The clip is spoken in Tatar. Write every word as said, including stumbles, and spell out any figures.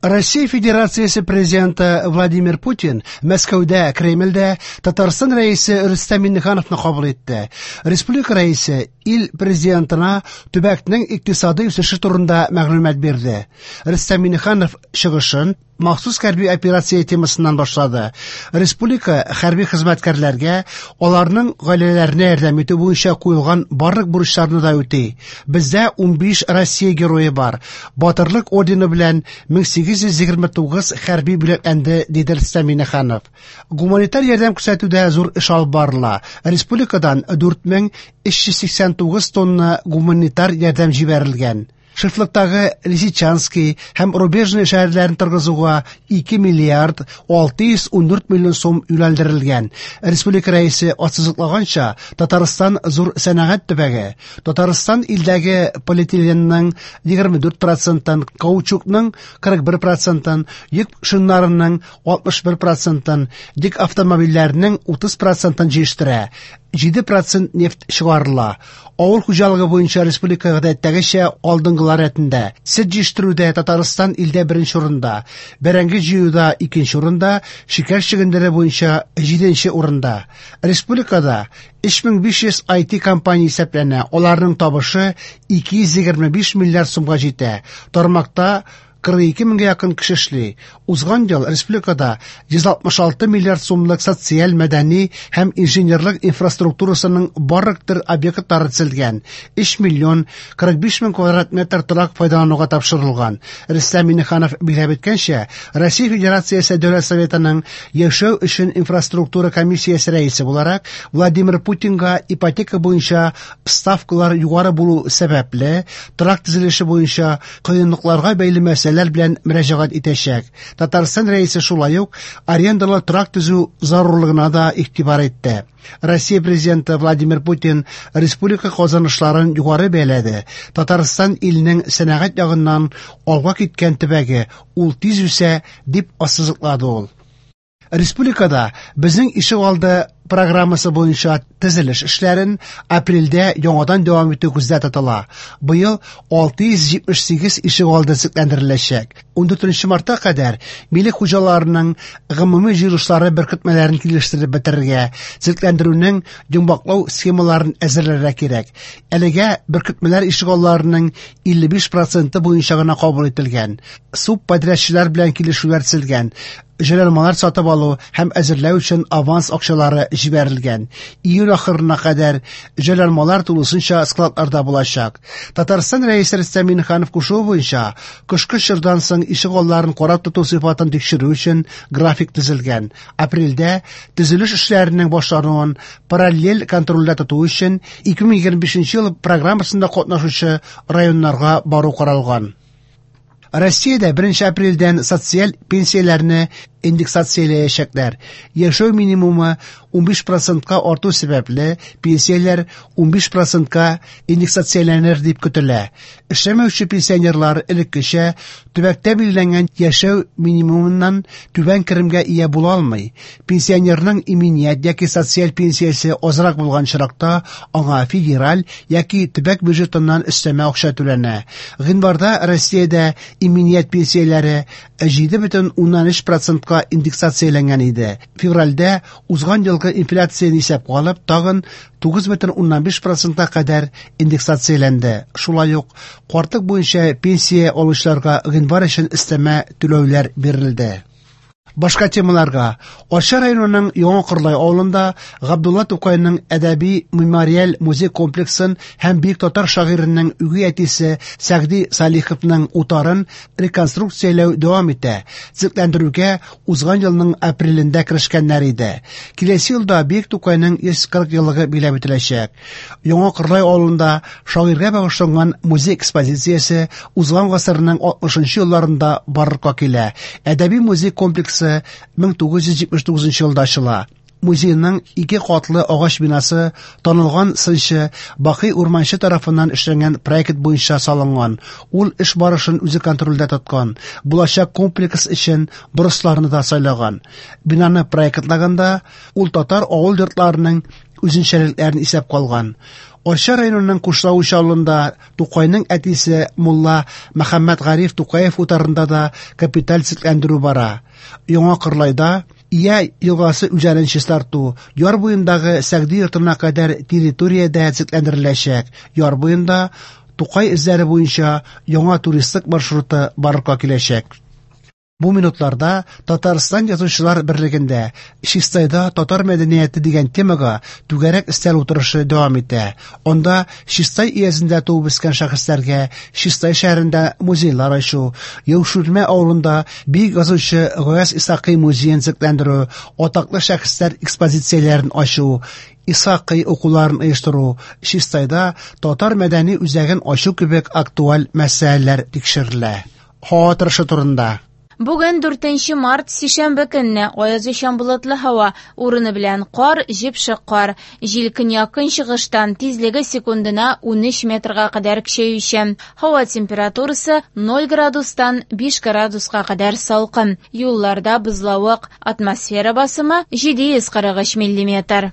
Россия Федерациясе президенты Владимир Путин Мәскәүдә, Кремльдә Татарстан Рәисе Рөстәм Миңнехановны кабул итте. Республика Рәисе ил президентына төбәкнең икътисади үсеше турында мәгълүмат бирде. Рөстәм Миңнеханов чыгышын махсус хәрби операция темасыннан башлады. Республика хәрби хезмәткәрләргә, аларның гаиләләренә ярдәм итү буенча куелган барлык бурычларны да үти. Бездә унбиш Россия герое бар. Батырлык ордены белән мең сигез йөз егерме тугыз хәрби бүләкләнде, диде Рөстәм Миңнеханов. Гуманитар ярдәм күрсәтүдә зур эш алып барыла. Республикадан дүрт мең өч йөз сиксән тугыз тонна гуманитар ярдәм җибәрелгән. Шефлыктагы Лисичанский һәм Рубежный шәһәрләрен торгызуга ике миллиард алты йөз ундүрт миллион сум юнәлдерелгән. Республика рәисе ассызыклаганча, Татарстан зур сәнәгать төбәге. Татарстан илдәге полиэтиленның егерме дүрт процентын, каучукның кырык бер процентын, йөк шиннарының алтмыш бер процентын, йөк автомобильләренең утыз процентын җыештыра. Җиде процент нефть чыгарыла. Авыл хуҗалыгы буенча республика гадәттәгечә алдынгылар рәтендә. Сөт җитештерүдә Татарстан илдә беренче урында, бәрәңге җыюда икенче урында, шикәр чөгендере буенча җиденче урында. Республикада өч мең биш йөз ай ти компания исәпләнә. Аларның табышы ике йөз егерме биш миллиард сумга җитә. Тармакта кырык ике меңгә якын кеше эшли. Узган ел республикада йөз алтмыш алты миллиард сумлык социаль, мәдәни һәм инженерлык инфраструктурасының барлык төр объектлары төзелгән. Өч миллион кырык биш мең квадрат метр торак файдалануга тапшырылган. Рөстәм Миңнеханов билгеләп үткәнчә, Россия Федерациясе Дәүләт Советының яшәү өчен инфраструктура комиссиясе рәисе буларак Владимир Путинга ипотека буенча ставкалар югары булу сәбәпле торак төзелеше буенча кыенлыкларга бәйле мәсьәләләр белән мөрәҗәгать итәчәк. Татарстан рәисе шулай ук арендалы торак төзү зарурлыгына да игътибар итте. Россия президенты Владимир Путин республика казанышларын югары бәяләде. Татарстан илнең сәнәгать ягыннан алга киткән төбәге, ул тиз үсә, дип ассызыклады ул. Республикада безнең ишегалды программасы буенча төзелеш эшләрен апрельдә яңадан дәвам итү күздә тотыла. Быел алты йөз җитмеш сигез ишегалды төзекләндереләчәк. Ундүртенче мартка кадәр милек хуҗаларының гомуми җыелышлары беркетмәләрен килештереп бетерергә, төзекләндерүнең йомгаклау схемаларын әзерләргә кирәк. Әлегә беркетмәләр ишегалларының илле биш проценты буенча гына кабул ителгән. Субподрядчылар белән килешүләр төзелгән. Җайланмалар сатып алу һәм әзерләү өчен аванс акчалары җибәрелгән. Июль ахырына кадәр җайланмалар тулысынча складларда булачак. Татарстан Рәисе Рөстәм Миңнеханов кушуы буенча кышкы чордан соң ишегалларын карап тоту сыйфатын тикшерү өчен график төзелгән. Апрельдә төзелеш эшләренең башлануын параллель контрольдә тоту өчен ике мең егерме бишенче ел программасында катнашучы районнарга бару каралган. Россиядә беренче апрельдән социаль пенсияләрне индексацияләячәкләр. Яшәү минимумы унбиш процентка арту сәбәпле пенсияләр унбиш процентка индексацияләнер дип көтелә. Эшләмәүче пенсионерлар элеккечә төбәктә билгеләнгән яшәү минимумыннан түбән керемгә ия була алмый. Пенсионерның иминият яки социаль пенсиясе азрак булган очракта аңа федераль яки төбәк бюджетыннан өстәмә акча түләнә. Гыйнварда Россиядә иминият пенсияләре җиде бөтен уннан өч процентка индексацияләнгән иде. Февральдә узган елгы инфляцияне исәпкә алып, тагын тугыз бөтен уннан биш процентка кадәр индексацияләнде. Шулай ук картлык буенча пенсия алучыларга гыйнвар өчен өстәмә түләүләр бирелде. Башка темаларга. Арча районының Яңа Кырлай авылында Габдулла Тукайның әдәби мемориаль музей комплексын һәм бөек татар шагыйренең үги әтисе Сәгъди Салиховның утарын реконструкцияләү дәвам итә. Төзекләндерүгә узган елның апрелендә керешкәннәр иде. Киләсе елда бөек Тукайның йөз кырык еллыгы билгеләп үтеләчәк. Яңа Кырлай авылында шагыйрьгә багышланган музей экспозициясе узган гасырның алтмышынчы елларында барлыкка килә. Әдәби музей комплексы мең тугыз йөз җитмеш тугызынчы елда ачыла. Музейның ике катлы агач бинасы танылган сынчы Бакый Урманче тарафыннан эшләнгән проект буенча салынган. Ул эш барышын үзе контрольдә тоткан. Булачак комплекс өчен борысларны да сайлаган. Бинаны проектлаганда ул татар авыл йортларының үзенчәлекләрен исәпкә алган. Арча районының Кушлавыч авылында Тукайның әтисе мулла Мөхәммәтгариф Тукаев утарында да капиталь төзекләндерү бара. Яңа Кырлайда Ия елгасы үзәнен чистарту, яр буендагы Сәгъди йортына кадәр территория дә төзекләндереләчәк. Яр буенда Тукай эзләре буенча яңа туристлык маршруты барлыкка киләчәк. Бу минутларда Татарстан Язучылар берлегендә Чистайда татар мәдәнияте дигән темага түгәрәк өстәл утырышы дәвам итә. Анда Чистай өязендә туып үскән шәхесләргә Чистай шәһәрендә музейлар ачу, Яуширмә авылында бөек язучы Гаяз Исхакый музеен төзекләндерү, атаклы шәхесләр экспозицияләрен ачу, Исхакый укуларын оештыру, Чистайда татар мәдәни үзәген ачу кебек актуаль мәсьәләләр тикшерелә. Һава торышы турында. Бүген дүртенче март, сишәмбе көнне аязучан болытлы һава, урыны белән кар, җепшек кар. Җил көньяк-көнчыгыштан, тизлеге секундына унөч метрга кадәр көчәючән. Һава температурасы ноль градустан биш градуска кадәр салкын. Юлларда бозлавык, атмосфера басымы җиде йөз кырык өч миллиметр.